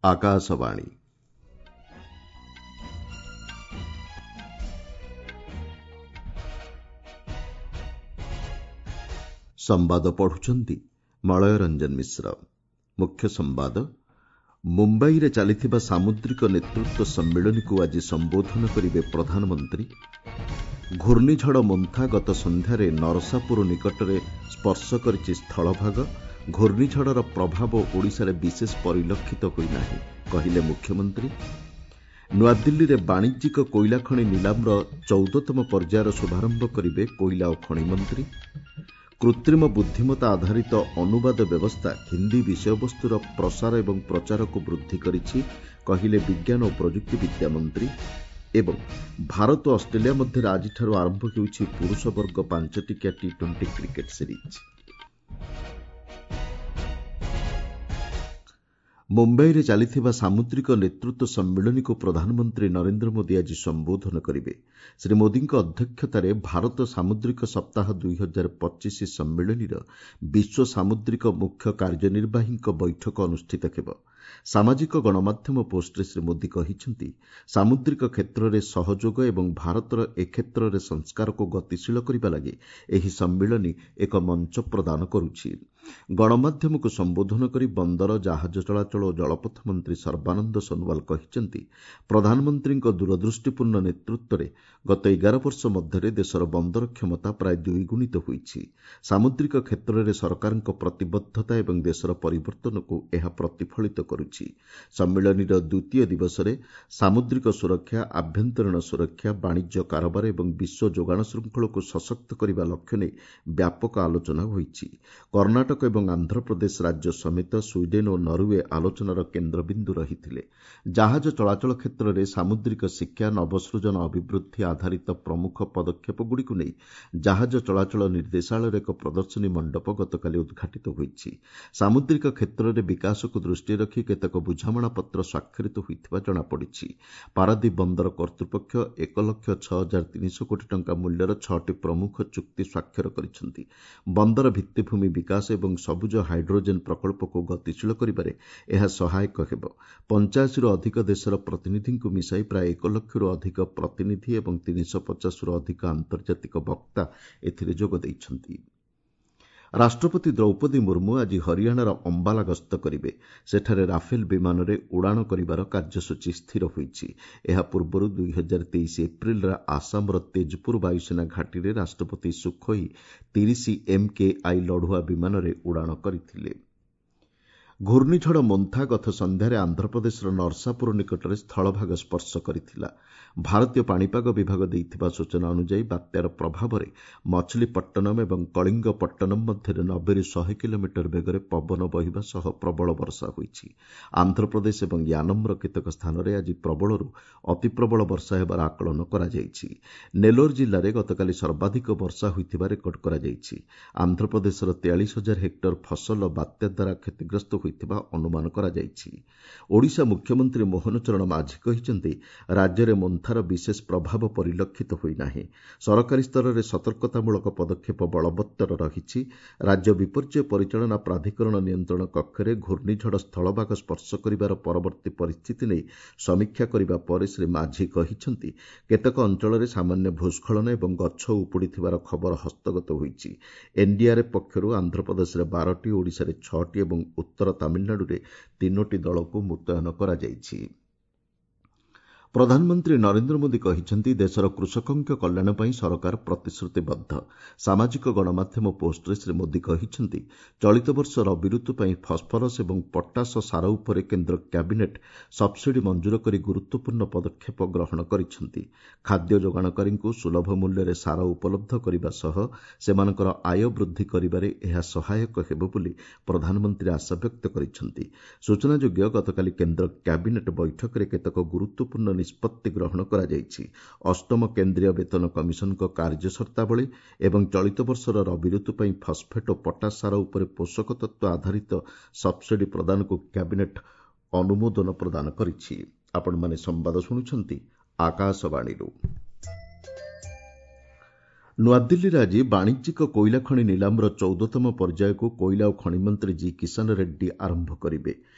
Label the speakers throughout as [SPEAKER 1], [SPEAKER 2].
[SPEAKER 1] ଆକାଶବାଣୀ। ସମ୍ବାଦ ପଢୁଛନ୍ତି ମଳୟ ରଞ୍ଜନ ମିଶ୍ର। ମୁଖ୍ୟ ସମ୍ବାଦ, ମୁମ୍ବାଇରେ ଚାଲିଥିବା ସାମୁଦ୍ରିକ ନେତୃତ୍ୱ ସମ୍ମିଳନୀକୁ ଆଜି ସମ୍ବୋଧନ କରିବେ ପ୍ରଧାନମନ୍ତ୍ରୀ। ଘୂର୍ଣ୍ଣିଝଡ଼ ମୋନ୍ଥା ଗତ ସନ୍ଧ୍ୟାରେ ନରସାପୁର ନିକଟରେ ସ୍ପର୍ଶ କରିଛି ସ୍ଥଳଭାଗ। ଘୂର୍ଣ୍ଣିଝଡ଼ର ପ୍ରଭାବ ଓଡ଼ିଶାରେ ବିଶେଷ ପରିଲକ୍ଷିତ ହୋଇନାହିଁ, କହିଲେ ମୁଖ୍ୟମନ୍ତ୍ରୀ। ନୂଆଦିଲ୍ଲୀରେ ବାଣିଜ୍ୟିକ କୋଇଲା ଖଣି ନିଲାମର 14ତମ ପର୍ଯ୍ୟାୟର ଶୁଭାରମ୍ଭ କରିବେ କୋଇଲା ଓ ଖଣି ମନ୍ତ୍ରୀ। କୃତ୍ରିମ ବୁଦ୍ଧିମତ୍ତା ଆଧାରିତ ଅନୁବାଦ ବ୍ୟବସ୍ଥା ହିନ୍ଦୀ ବିଷୟବସ୍ତୁର ପ୍ରସାର ଏବଂ ପ୍ରଚାରକୁ ବୃଦ୍ଧି କରିଛି, କହିଲେ ବିଜ୍ଞାନ ଓ ପ୍ରଯୁକ୍ତିବିଦ୍ୟା ମନ୍ତ୍ରୀ। ଏବଂ ଭାରତ ଓ ଅଷ୍ଟ୍ରେଲିଆ ମଧ୍ୟରେ ଆଜିଠାରୁ ଆରମ୍ଭ ହେଉଛି ପୁରୁଷ ବର୍ଗ 5 ଟିକିଆ ଟି-20 କ୍ରିକେଟ୍ ସିରିଜ୍। ମୁମ୍ବାଇରେ ଚାଲିଥିବା ସାମୁଦ୍ରିକ ନେତୃତ୍ୱ ସମ୍ମିଳନୀକୁ ପ୍ରଧାନମନ୍ତ୍ରୀ ନରେନ୍ଦ୍ର ମୋଦି ଆଜି ସମ୍ବୋଧନ କରିବେ। ଶ୍ରୀ ମୋଦିଙ୍କ ଅଧ୍ୟକ୍ଷତାରେ ଭାରତ ସାମୁଦ୍ରିକ ସପ୍ତାହ 2025 ସମ୍ମିଳନୀର ବିଶ୍ୱ ସାମୁଦ୍ରିକ ମୁଖ୍ୟ କାର୍ଯ୍ୟନିର୍ବାହୀଙ୍କ ବୈଠକ ଅନୁଷ୍ଠିତ ହେବ। ସାମାଜିକ ଗଣମାଧ୍ୟମ ପୋଷ୍ଟରେ ଶ୍ରୀ ମୋଦି କହିଛନ୍ତି, ସାମୁଦ୍ରିକ କ୍ଷେତ୍ରରେ ସହଯୋଗ ଏବଂ ଭାରତର ଏ କ୍ଷେତ୍ରରେ ସଂସ୍କାରକୁ ଗତିଶୀଳ କରିବା ଲାଗି ଏହି ସମ୍ମିଳନୀ ଏକ ମଞ୍ଚ ପ୍ରଦାନ କରୁଛି। ଗଣମାଧ୍ୟମକୁ ସମ୍ବୋଧନ କରି ବନ୍ଦର, ଜାହାଜ ଚଳାଚଳ ଓ ଜଳପଥ ମନ୍ତ୍ରୀ ସର୍ବାନନ୍ଦ ସୋନୱାଲ କହିଛନ୍ତି, ପ୍ରଧାନମନ୍ତ୍ରୀଙ୍କ ଦୂରଦୃଷ୍ଟିପୂର୍ଣ୍ଣ ନେତୃତ୍ୱରେ ଗତ 11 ବର୍ଷ ମଧ୍ୟରେ ଦେଶର ବନ୍ଦର କ୍ଷମତା ପ୍ରାୟ ଦ୍ୱିଗୁଣିତ ହୋଇଛି। ସାମୁଦ୍ରିକ କ୍ଷେତ୍ରରେ ସରକାରଙ୍କ ପ୍ରତିବଦ୍ଧତା ଏବଂ ଦେଶର ପରିବର୍ତ୍ତନକୁ ଏହା ପ୍ରତିଫଳିତ କରୁଛି। ସମ୍ମିଳନୀର ଦ୍ୱିତୀୟ ଦିବସରେ ସାମୁଦ୍ରିକ ସୁରକ୍ଷା, ଆଭ୍ୟନ୍ତରୀଣ ସୁରକ୍ଷା, ବାଣିଜ୍ୟ କାରବାର ଏବଂ ବିଶ୍ୱ ଯୋଗାଣ ଶୃଙ୍ଖଳକୁ ସଶକ୍ତ କରିବା ଲକ୍ଷ୍ୟ ନେଇ ବ୍ୟାପକ ଆଲୋଚନା ହୋଇଛି। କର୍ଣ୍ଣାଟକ ଏବଂ ଆନ୍ଧ୍ରପ୍ରଦେଶ ରାଜ୍ୟ ସମେତ ସ୍ୱିଡେନ୍ ଓ ନରୱେ ଆଲୋଚନାର କେନ୍ଦ୍ରବିନ୍ଦୁ ରହିଥିଲେ। ଜାହାଜ ଚଳାଚଳ କ୍ଷେତ୍ରରେ ସାମୁଦ୍ରିକ ଶିକ୍ଷା, ନବସୃଜନ, ଅଭିବୃଦ୍ଧି ଆଧାରିତ ପ୍ରମୁଖ ପଦକ୍ଷେପଗୁଡ଼ିକୁ ନେଇ ଜାହାଜ ଚଳାଚଳ ନିର୍ଦ୍ଦେଶାଳୟର ଏକ ପ୍ରଦର୍ଶନୀ ମଣ୍ଡପ ଗତକାଲି ଉଦ୍ଘାଟିତ ହୋଇଛି। ସାମୁଦ୍ରିକ କ୍ଷେତ୍ରରେ ବିକାଶକୁ ଦୃଷ୍ଟିରେ ରଖି କେତେକ ବୁଝାମଣାପତ୍ର ସ୍ୱାକ୍ଷରିତ ହୋଇଥିବା ଜଣାପଡ଼ିଛି। ପାରାଦୀପ ବନ୍ଦର କର୍ତ୍ତୃପକ୍ଷ 1,06,300 କୋଟି ଟଙ୍କା ମୂଲ୍ୟର ଛଅଟି ପ୍ରମୁଖ ଚୁକ୍ତି ସ୍ୱାକ୍ଷର କରିଛନ୍ତି। ବନ୍ଦର ଭିତ୍ତିଭୂମି ବିକାଶ ଏବଂ ସବୁଜ ହାଇଡ୍ରୋଜେନ୍ ପ୍ରକଳ୍ପକୁ ଗତିଶୀଳ କରିବାରେ ଏହା ସହାୟକ ହେବ। 85ରୁ ଅଧିକ ଦେଶର ପ୍ରତିନିଧିଙ୍କୁ ମିଶାଇ ପ୍ରାୟ 1 ଲକ୍ଷରୁ ଅଧିକ ପ୍ରତିନିଧି ଏବଂ 350ରୁ ଅଧିକ ଆନ୍ତର୍ଜାତିକ ବକ୍ତା ଏଥିରେ ଯୋଗ ଦେଇଛନ୍ତି। ରାଷ୍ଟ୍ରପତି ଦ୍ରୌପଦୀ ମୁର୍ମୁ ଆଜି ହରିୟାଣାର ଅମ୍ବାଲା ଗସ୍ତ କରିବେ। ସେଠାରେ ରାଫେଲ ବିମାନରେ ଉଡ଼ାଣ କରିବାର କାର୍ଯ୍ୟସୂଚୀ ସ୍ଥିର ହୋଇଛି। ଏହା ପୂର୍ବରୁ 2023 ଏପ୍ରିଲରେ ଆସାମର ତେଜପୁର ବାୟୁସେନା ଘାଟିରେ ରାଷ୍ଟ୍ରପତି ସୁଖୋଇ 30 ଏମ୍କେଆଇ ଲଢୁଆ ବିମାନରେ ଉଡ଼ାଣ କରିଥିଲେ। ଘୂର୍ଣ୍ଣିଝଡ଼ ମୋନ୍ଥା ଗତ ସନ୍ଧ୍ୟାରେ ଆନ୍ଧ୍ରପ୍ରଦେଶର ନରସାପୁର ନିକଟରେ ସ୍ଥଳଭାଗ ସ୍ପର୍ଶ କରିଥିଲା। ଭାରତୀୟ ପାଣିପାଗ ବିଭାଗ ଦେଇଥିବା ସୂଚନା ଅନୁଯାୟୀ, ବାତ୍ୟାର ପ୍ରଭାବରେ ମଛଲିପଟ୍ଟନମ୍ ଏବଂ କଳିଙ୍ଗପଟ୍ଟନମ୍ ମଧ୍ୟରେ 90ରୁ 100 କିଲୋମିଟର ବେଗରେ ପବନ ବହିବା ସହ ପ୍ରବଳ ବର୍ଷା ହୋଇଛି। ଆନ୍ଧ୍ରପ୍ରଦେଶ ଏବଂ ୟାନମ୍ର କେତେକ ସ୍ଥାନରେ ଆଜି ପ୍ରବଳରୁ ଅତିପ୍ରବଳ ବର୍ଷା ହେବାର ଆକଳନ କରାଯାଇଛି। ନେଲୋର ଜିଲ୍ଲାରେ ଗତକାଲି ସର୍ବାଧିକ ବର୍ଷା ହୋଇଥିବା ରେକର୍ଡ କରାଯାଇଛି। ଆନ୍ଧ୍ରପ୍ରଦେଶର 43,000 ହେକ୍ଟର ଫସଲ ବାତ୍ୟା ଦ୍ୱାରା କ୍ଷତିଗ୍ରସ୍ତ ହୋଇଥିବା ଅନୁମାନ କରାଯାଇଛି। ଓଡ଼ିଶା ମୁଖ୍ୟମନ୍ତ୍ରୀ ମୋହନ ଚରଣ ମାଝୀ କହିଛନ୍ତି, ରାଜ୍ୟରେ ମୋନ୍ଥାର ବିଶେଷ ପ୍ରଭାବ ପରିଲକ୍ଷିତ ହୋଇନାହିଁ। ସରକାରୀ ସ୍ତରରେ ସତର୍କତାମୂଳକ ପଦକ୍ଷେପ ବଳବତ୍ତର ରହିଛି। ରାଜ୍ୟ ବିପର୍ଯ୍ୟୟ ପରିଚାଳନା ପ୍ରାଧିକରଣ ନିୟନ୍ତ୍ରଣ କକ୍ଷରେ ଘୂର୍ଣ୍ଣିଝଡ଼ ସ୍ଥଳଭାଗ ସ୍ପର୍ଶ କରିବାର ପରବର୍ତ୍ତୀ ପରିସ୍ଥିତି ନେଇ ସମୀକ୍ଷା କରିବା ପରେ ଶ୍ରୀ ମାଝୀ କହିଛନ୍ତି, କେତେକ ଅଞ୍ଚଳରେ ସାମାନ୍ୟ ଭୂସ୍ଖଳନ ଏବଂ ଗଛ ଉପୁଡ଼ିଥିବାର ଖବର ହସ୍ତଗତ ହୋଇଛି। ଏନ୍ଡିଆର୍ଏଫ୍ ପକ୍ଷରୁ ଆନ୍ଧ୍ରପ୍ରଦେଶରେ 12ଟି, ଓଡ଼ିଶାରେ ଛଅଟି ଏବଂ ଉତ୍ତର ତାମିଲନାଡୁରେ ତିନୋଟି ଦଳକୁ ମୁତୟନ କରାଯାଇଛି। ପ୍ରଧାନମନ୍ତ୍ରୀ ନରେନ୍ଦ୍ର ମୋଦି କହିଛନ୍ତି, ଦେଶର କୃଷକଙ୍କ କଲ୍ୟାଣ ପାଇଁ ସରକାର ପ୍ରତିଶ୍ରୁତିବଦ୍ଧ। ସାମାଜିକ ଗଣମାଧ୍ୟମ ପୋଷ୍ଟରେ ଶ୍ରୀ ମୋଦି କହିଛନ୍ତି, ଚଳିତ ବର୍ଷ ରବି ଋତୁ ପାଇଁ ଫସ୍ଫରସ୍ ଏବଂ ପଟାସ ସାର ଉପରେ କେନ୍ଦ୍ର କ୍ୟାବିନେଟ୍ ସବ୍ସିଡି ମଞ୍ଜୁର କରି ଗୁରୁତ୍ୱପୂର୍ଣ୍ଣ ପଦକ୍ଷେପ ଗ୍ରହଣ କରିଛନ୍ତି। ଖାଦ୍ୟ ଯୋଗାଣକାରୀଙ୍କୁ ସୁଲଭ ମୂଲ୍ୟରେ ସାର ଉପଲବ୍ଧ କରିବା ସହ ସେମାନଙ୍କର ଆୟ ବୃଦ୍ଧି କରିବାରେ ଏହା ସହାୟକ ହେବ ବୋଲି ପ୍ରଧାନମନ୍ତ୍ରୀ ଆଶାବ୍ୟକ୍ତ କରିଛନ୍ତି। ସୂଚନାଯୋଗ୍ୟ, ଗତକାଲି କେନ୍ଦ୍ର କ୍ୟାବିନେଟ୍ ବୈଠକରେ କେତେକ ଗୁରୁତ୍ୱପୂର୍ଣ୍ଣ ନିଷ୍ପତ୍ତି ଗ୍ରହଣ କରାଯାଇଛି। ଅଷ୍ଟମ କେନ୍ଦ୍ରୀୟ ବେତନ କମିଶନଙ୍କ କାର୍ଯ୍ୟ ସର୍ତ୍ତାବଳୀ ଏବଂ ଚଳିତ ବର୍ଷର ରବି ଋତୁ ପାଇଁ ଫସ୍ଫେଟ୍ ଓ ପଟାସ ସାର ଉପରେ ପୋଷକ ତତ୍ତ୍ୱ ଆଧାରିତ ସବ୍ସିଡି ପ୍ରଦାନକୁ କ୍ୟାବିନେଟ୍ ଅନୁମୋଦନ ପ୍ରଦାନ କରିଛି। ଆପଣମାନେ ସମ୍ବାଦ ଶୁଣୁଛନ୍ତି ଆକାଶବାଣୀରୁ। ନୂଆଦିଲ୍ଲୀରେ ଆଜି ବାଣିଜ୍ୟିକ କୋଇଲା ଖଣି ନିଲାମର 14ତମ ପର୍ଯ୍ୟାୟକୁ କୋଇଲା ଓ ଖଣି ମନ୍ତ୍ରୀ ଜି କିଷାନ ରେଡ୍ଡୀ ଆରମ୍ଭ କରିବେ।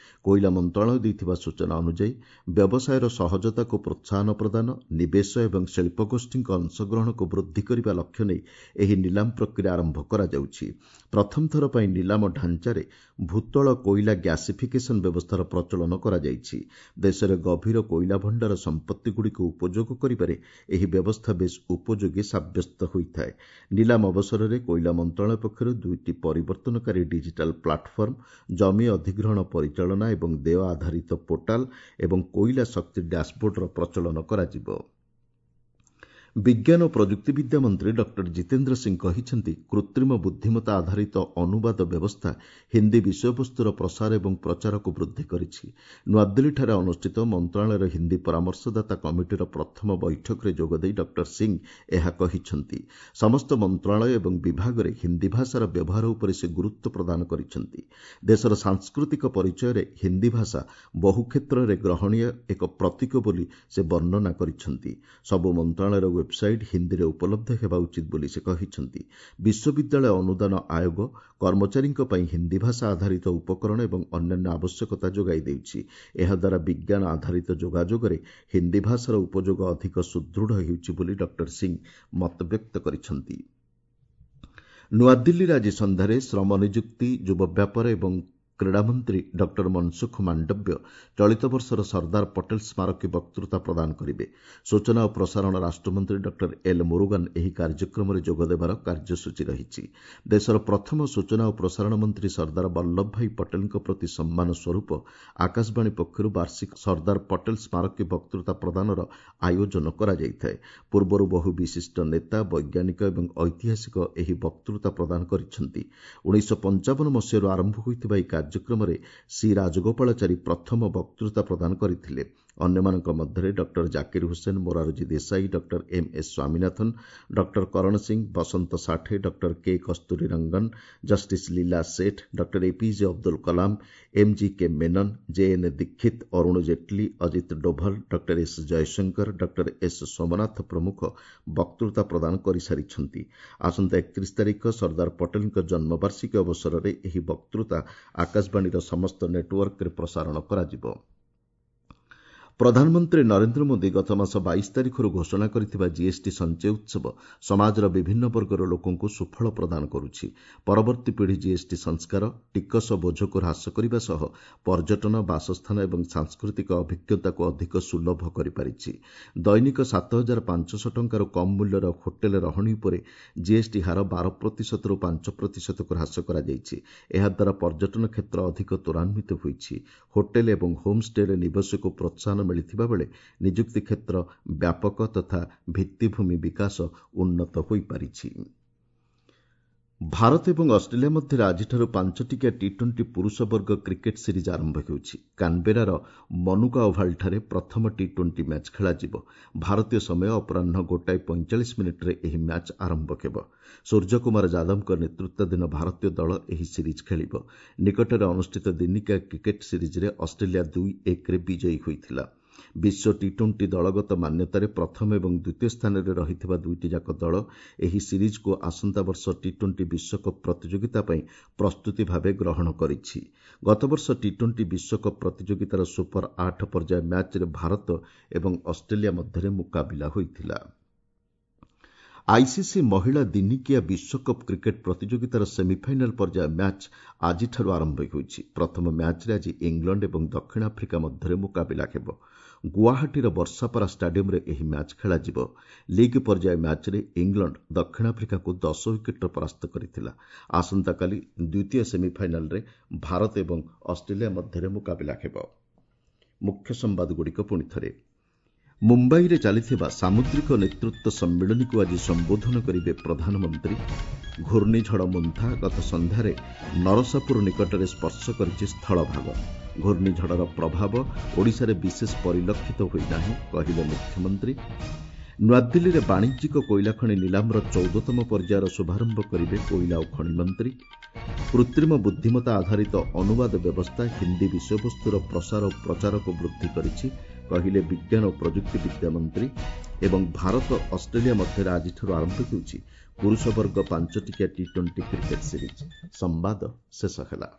[SPEAKER 1] କୋଇଲା ମନ୍ତ୍ରଣାଳୟ ଦେଇଥିବା ସୂଚନା ଅନୁଯାୟୀ, ବ୍ୟବସାୟର ସହଜତାକୁ ପ୍ରୋତ୍ସାହନ ପ୍ରଦାନ, ନିବେଶ ଏବଂ ଶିଳ୍ପଗୋଷ୍ଠୀଙ୍କ ଅଂଶଗ୍ରହଣକୁ ବୃଦ୍ଧି କରିବା ଲକ୍ଷ୍ୟ ନେଇ ଏହି ନିଲାମ ପ୍ରକ୍ରିୟା ଆରମ୍ଭ କରାଯାଉଛି। ପ୍ରଥମ ଥର ପାଇଁ ନିଲାମ ଢାଞ୍ଚାରେ ଭୂତଳ କୋଇଲା ଗ୍ୟାସିଫିକେସନ୍ ବ୍ୟବସ୍ଥାର ପ୍ରଚଳନ କରାଯାଇଛି। ଦେଶରେ ଗଭୀର କୋଇଲା ଭଣ୍ଡାର ସମ୍ପତ୍ତିଗୁଡ଼ିକୁ ଉପଯୋଗ କରିବାରେ ଏହି ବ୍ୟବସ୍ଥା ବେଶ୍ ଉପଯୋଗୀ ସାବ୍ୟସ୍ତ ହୋଇଥାଏ। ନିଲାମ ଅବସରରେ କୋଇଲା ମନ୍ତ୍ରଣାଳୟ ପକ୍ଷରୁ ଦୁଇଟି ପରିବର୍ତ୍ତନକାରୀ ଡିଜିଟାଲ୍ ପ୍ଲାଟଫର୍ମ, ଜମି ଅଧିଗ୍ରହଣ ପରିଚାଳନା ଏବଂ ଦେୟ ଆଧାରିତ ପୋର୍ଟାଲ ଏବଂ କୋଇଲା ଶକ୍ତି ଡ୍ୟାସବୋର୍ଡର ପ୍ରଚଳନ କରାଯିବ। ବିଜ୍ଞାନ ଓ ପ୍ରଯୁକ୍ତିବିଦ୍ୟା ମନ୍ତ୍ରୀ ଡକ୍ଟର ଜିତେନ୍ଦ୍ର ସିଂ କହିଛନ୍ତି, କୃତ୍ରିମ ବୁଦ୍ଧିମତ୍ତା ଆଧାରିତ ଅନୁବାଦ ବ୍ୟବସ୍ଥା ହିନ୍ଦୀ ବିଷୟବସ୍ତୁର ପ୍ରସାର ଏବଂ ପ୍ରଚାରକୁ ବୃଦ୍ଧି କରିଛି। ନୂଆଦିଲ୍ଲୀଠାରେ ଅନୁଷ୍ଠିତ ମନ୍ତ୍ରଣାଳୟର ହିନ୍ଦୀ ପରାମର୍ଶଦାତା କମିଟିର ପ୍ରଥମ ବୈଠକରେ ଯୋଗଦେଇ ଡକ୍ଟର ସିଂ ଏହା କହିଛନ୍ତି। ସମସ୍ତ ମନ୍ତ୍ରଣାଳୟ ଏବଂ ବିଭାଗରେ ହିନ୍ଦୀ ଭାଷାର ବ୍ୟବହାର ଉପରେ ସେ ଗୁରୁତ୍ୱ ପ୍ରଦାନ କରିଛନ୍ତି। ଦେଶର ସାଂସ୍କୃତିକ ପରିଚୟରେ ହିନ୍ଦୀ ଭାଷା ବହୁ କ୍ଷେତ୍ରରେ ଗ୍ରହଣୀୟ ଏକ ପ୍ରତୀକ ବୋଲି ସେ ବର୍ଣ୍ଣନା କରିଛନ୍ତି। ସବୁ ମନ୍ତ୍ରଣାଳୟର ୱେବ୍ସାଇଟ୍ ହିନ୍ଦୀରେ ଉପଲବ୍ଧ ହେବା ଉଚିତ ବୋଲି ସେ କହିଛନ୍ତି। ବିଶ୍ୱବିଦ୍ୟାଳୟ ଅନୁଦାନ ଆୟୋଗ କର୍ମଚାରୀଙ୍କ ପାଇଁ ହିନ୍ଦୀ ଭାଷା ଆଧାରିତ ଉପକରଣ ଏବଂ ଅନ୍ୟାନ୍ୟ ଆବଶ୍ୟକତା ଯୋଗାଇ ଦେଉଛି। ଏହାଦ୍ୱାରା ବିଜ୍ଞାନ ଆଧାରିତ ଯୋଗାଯୋଗରେ ହିନ୍ଦୀ ଭାଷାର ଉପଯୋଗ ଅଧିକ ସୁଦୃଢ଼ ହେଉଛି ବୋଲି ଡକ୍ଟର ସିଂ ମତବ୍ୟକ୍ତ କରିଛନ୍ତି। ନୂଆଦିଲ୍ଲୀରେ ଆଜି ସନ୍ଧ୍ୟାରେ ଶ୍ରମ, ନିଯୁକ୍ତି, ଯୁବ ବ୍ୟାପାର ଏବଂ କ୍ରୀଡ଼ାମନ୍ତ୍ରୀ ଡକ୍ଟର ମନସୁଖ ମାଣ୍ଡବ୍ୟ ଚଳିତ ବର୍ଷର ସର୍ଦ୍ଦାର ପଟେଲ ସ୍ମାରକୀ ବକ୍ତୃତା ପ୍ରଦାନ କରିବେ। ସୂଚନା ଓ ପ୍ରସାରଣ ରାଷ୍ଟ୍ରମନ୍ତ୍ରୀ ଡକ୍ଟର ଏଲ୍ ମୁରୁଗାନ ଏହି କାର୍ଯ୍ୟକ୍ରମରେ ଯୋଗଦେବାର କାର୍ଯ୍ୟସୂଚୀ ରହିଛି। ଦେଶର ପ୍ରଥମ ସୂଚନା ଓ ପ୍ରସାରଣ ମନ୍ତ୍ରୀ ସର୍ଦ୍ଦାର ବଲ୍ଲଭ ଭାଇ ପଟେଲଙ୍କ ପ୍ରତି ସମ୍ମାନ ସ୍ୱରୂପ ଆକାଶବାଣୀ ପକ୍ଷରୁ ବାର୍ଷିକ ସର୍ଦ୍ଦାର ପଟେଲ ସ୍ମାରକୀ ବକ୍ତୃତା ପ୍ରଦାନର ଆୟୋଜନ କରାଯାଇଥାଏ। ପୂର୍ବରୁ ବହୁ ବିଶିଷ୍ଟ ନେତା, ବୈଜ୍ଞାନିକ ଏବଂ ଐତିହାସିକ ଏହି ବକ୍ତୃତା ପ୍ରଦାନ କରିଛନ୍ତି। 1955 ମସିହାରୁ ଆରମ୍ଭ ହୋଇଥିବା ଏହି କାର୍ଯ୍ୟକ୍ରମରେ ସି ରାଜଗୋପାଳାଚାରୀ ପ୍ରଥମ ବକ୍ତୃତା ପ୍ରଦାନ କରିଥିଲେ। ଅନ୍ୟମାନଙ୍କ ମଧ୍ୟରେ doctor Zakir Hussain, Morarji Desai, doctor M S Swaminathan, doctor Karan Singh, Vasant Sathe, doctor K Kasturirangan, justice Leela Seth, doctor APJ Abdul Kalam, M G K Menon, J N Dikshit, Arun Jaitley, Ajit Doval, doctor S Jaishankar, doctor S Somanath ପ୍ରମୁଖ ବକ୍ତୃତା ପ୍ରଦାନ କରିସାରିଛନ୍ତି। ଆସନ୍ତା 31 ତାରିଖ ସର୍ଦ୍ଦାର ପଟେଲଙ୍କ ଜନ୍ମବାର୍ଷିକୀ ଅବସରରେ ଏହି ବକ୍ତୃତା ଆକାଶବାଣୀର ସମସ୍ତ ନେଟୱାର୍କରେ ପ୍ରସାରଣ କରାଯିବ। ପ୍ରଧାନମନ୍ତ୍ରୀ ନରେନ୍ଦ୍ର ମୋଦି ଗତମାସ 22 ତାରିଖରୁ ଘୋଷଣା କରିଥିବା ଜିଏସ୍ଟି ସଞ୍ଚୟ ଉତ୍ସବ ସମାଜର ବିଭିନ୍ନ ବର୍ଗର ଲୋକଙ୍କୁ ସୁଫଳ ପ୍ରଦାନ କରୁଛି। ପରବର୍ତ୍ତୀ ପିଢ଼ି ଜିଏସ୍ଟି ସଂସ୍କାର ଟିକସ ବୋଝକୁ ହ୍ରାସ କରିବା ସହ ପର୍ଯ୍ୟଟନ, ବାସସ୍ଥାନ ଏବଂ ସାଂସ୍କୃତିକ ଅଭିଜ୍ଞତାକୁ ଅଧିକ ସୁଲଭ କରିପାରିଛି। ଦୈନିକ 7500 ଟଙ୍କାରୁ କମ୍ ମୂଲ୍ୟର ହୋଟେଲ ରହଣି ଉପରେ ଜିଏସ୍ଟି ହାର 12 ପ୍ରତିଶତରୁ 5 ପ୍ରତିଶତକୁ ହ୍ରାସ କରାଯାଇଛି। ଏହାଦ୍ୱାରା ପର୍ଯ୍ୟଟନ କ୍ଷେତ୍ର ଅଧିକ ତ୍ୱରାନ୍ୱିତ ହୋଇଛି। ହୋଟେଲ ଏବଂ ହୋମ୍ଷ୍ଟେରେ ନିବେଶକୁ ପ୍ରୋତ୍ସାହନ ମିଳିଥିବା ବେଳେ ନିଯୁକ୍ତି କ୍ଷେତ୍ର ବ୍ୟାପକ ତଥା ଭିତ୍ତିଭୂମି ବିକାଶ ଉନ୍ନତ ହୋଇପାରିଛି। ଭାରତ ଏବଂ ଅଷ୍ଟ୍ରେଲିଆ ମଧ୍ୟରେ ଆଜିଠାରୁ 5ଟିକିଆ ଟି 20 ପୁରୁଷ ବର୍ଗ କ୍ରିକେଟ୍ ସିରିଜ୍ ଆରମ୍ଭ ହେଉଛି। କାନବେରାର ମନୁକା ଓଭାଲଠାରେ ପ୍ରଥମ ଟି 20 ମ୍ୟାଚ୍ ଖେଳାଯିବ। ଭାରତୀୟ ସମୟ ଅପରାହ୍ନ 1:45ରେ ଏହି ମ୍ୟାଚ୍ ଆରମ୍ଭ ହେବ। ସୂର୍ଯ୍ୟକୁମାର ଯାଦବଙ୍କ ନେତୃତ୍ୱାଧୀନ ଭାରତୀୟ ଦଳ ଏହି ସିରିଜ୍ ଖେଳିବ। ନିକଟରେ ଅନୁଷ୍ଠିତ ଦିନିକିଆ କ୍ରିକେଟ୍ ସିରିଜ୍ରେ ଅଷ୍ଟ୍ରେଲିଆ 2-1ରେ ବିଜୟୀ ହୋଇଥିଲା। ବିଶ୍ୱ ଟି 20 ଦଳଗତ ମାନ୍ୟତାରେ ପ୍ରଥମ ଏବଂ ଦ୍ୱିତୀୟ ସ୍ଥାନରେ ରହିଥିବା ଦୁଇଟି ଯାକ ଦଳ ଏହି ସିରିଜ୍କୁ ଆସନ୍ତା ବର୍ଷ ଟି 20 ବିଶ୍ୱକପ୍ ପ୍ରତିଯୋଗିତା ପାଇଁ ପ୍ରସ୍ତୁତି ଭାବେ ଗ୍ରହଣ କରିଛି। ଗତବର୍ଷ ଟି 20 ବିଶ୍ୱକପ୍ ପ୍ରତିଯୋଗିତାର ସୁପର 8 ପର୍ଯ୍ୟାୟ ମ୍ୟାଚ୍ରେ ଭାରତ ଏବଂ ଅଷ୍ଟ୍ରେଲିଆ ମଧ୍ୟରେ ମୁକାବିଲା ହୋଇଥିଲା। ଆଇସିସି ମହିଳା ଦିନିକିଆ ବିଶ୍ୱକପ୍ କ୍ରିକେଟ୍ ପ୍ରତିଯୋଗିତାର ସେମିଫାଇନାଲ୍ ପର୍ଯ୍ୟାୟ ମ୍ୟାଚ୍ ଆଜିଠାରୁ ଆରମ୍ଭ ହେଉଛି। ପ୍ରଥମ ମ୍ୟାଚ୍ରେ ଆଜି ଇଂଲଣ୍ଡ ଏବଂ ଦକ୍ଷିଣ ଆଫ୍ରିକା ମଧ୍ୟରେ ମୁକାବିଲା ହେବ। ଗୁଆହାଟୀର ବର୍ଷାପାରା ଷ୍ଟାଡିୟମ୍ରେ ଏହି ମ୍ୟାଚ୍ ଖେଳାଯିବ। ଲିଗ୍ ପର୍ଯ୍ୟାୟ ମ୍ୟାଚ୍ରେ ଇଂଲଣ୍ଡ ଦକ୍ଷିଣ ଆଫ୍ରିକାକୁ 10 ୱିକେଟ୍ରେ ପରାସ୍ତ କରିଥିଲା। ଆସନ୍ତାକାଲି ଦ୍ୱିତୀୟ ସେମିଫାଇନାଲ୍ରେ ଭାରତ ଏବଂ ଅଷ୍ଟ୍ରେଲିଆ ମଧ୍ୟରେ ମୁକାବିଲା ହେବ। ମୁଖ୍ୟ ସମ୍ବାଦଗୁଡ଼ିକ ପୁଣି ଥରେ। ମୁମ୍ବାଇରେ ଚାଲିଥିବା ସାମୁଦ୍ରିକ ନେତୃତ୍ୱ ସମ୍ମିଳନୀକୁ ଆଜି ସମ୍ବୋଧନ କରିବେ ପ୍ରଧାନମନ୍ତ୍ରୀ। ଘୂର୍ଣ୍ଣିଝଡ଼ ମୁନ୍ଥା ଗତ ସନ୍ଧ୍ୟାରେ ନରସାପୁର ନିକଟରେ ସ୍ପର୍ଶ କରିଛି ସ୍ଥଳଭାଗ। ଘୂର୍ଣ୍ଣିଝଡ଼ର ପ୍ରଭାବ ଓଡ଼ିଶାରେ ବିଶେଷ ପରିଲକ୍ଷିତ ହୋଇନାହିଁ, କହିଲେ ମୁଖ୍ୟମନ୍ତ୍ରୀ। ନୂଆଦିଲ୍ଲୀରେ ବାଣିଜ୍ୟିକ କୋଇଲା ଖଣି ନିଲାମର 14ତମ ପର୍ଯ୍ୟାୟର ଶୁଭାରମ୍ଭ କରିବେ କୋଇଲା ଓ ଖଣି ମନ୍ତ୍ରୀ। କୃତ୍ରିମ ବୁଦ୍ଧିମତ୍ତା ଆଧାରିତ ଅନୁବାଦ ବ୍ୟବସ୍ଥା ହିନ୍ଦୀ ବିଷୟବସ୍ତୁର ପ୍ରସାର ଓ ପ୍ରଚାରକୁ ବୃଦ୍ଧି କରିଛି, କହିଲେ ବିଜ୍ଞାନ ଓ ପ୍ରଯୁକ୍ତିବିଦ୍ୟା ମନ୍ତ୍ରୀ। ଏବଂ ଭାରତ ଅଷ୍ଟ୍ରେଲିଆ ମଧ୍ୟରେ ଆଜିଠାରୁ ଆରମ୍ଭ ହେଉଛି ପୁରୁଷ ବର୍ଗ 5 ଟିକିଆ ଟି-20 କ୍ରିକେଟ୍ ସିରିଜ୍। ସମ୍ବାଦ ଶେଷ ହେଲା।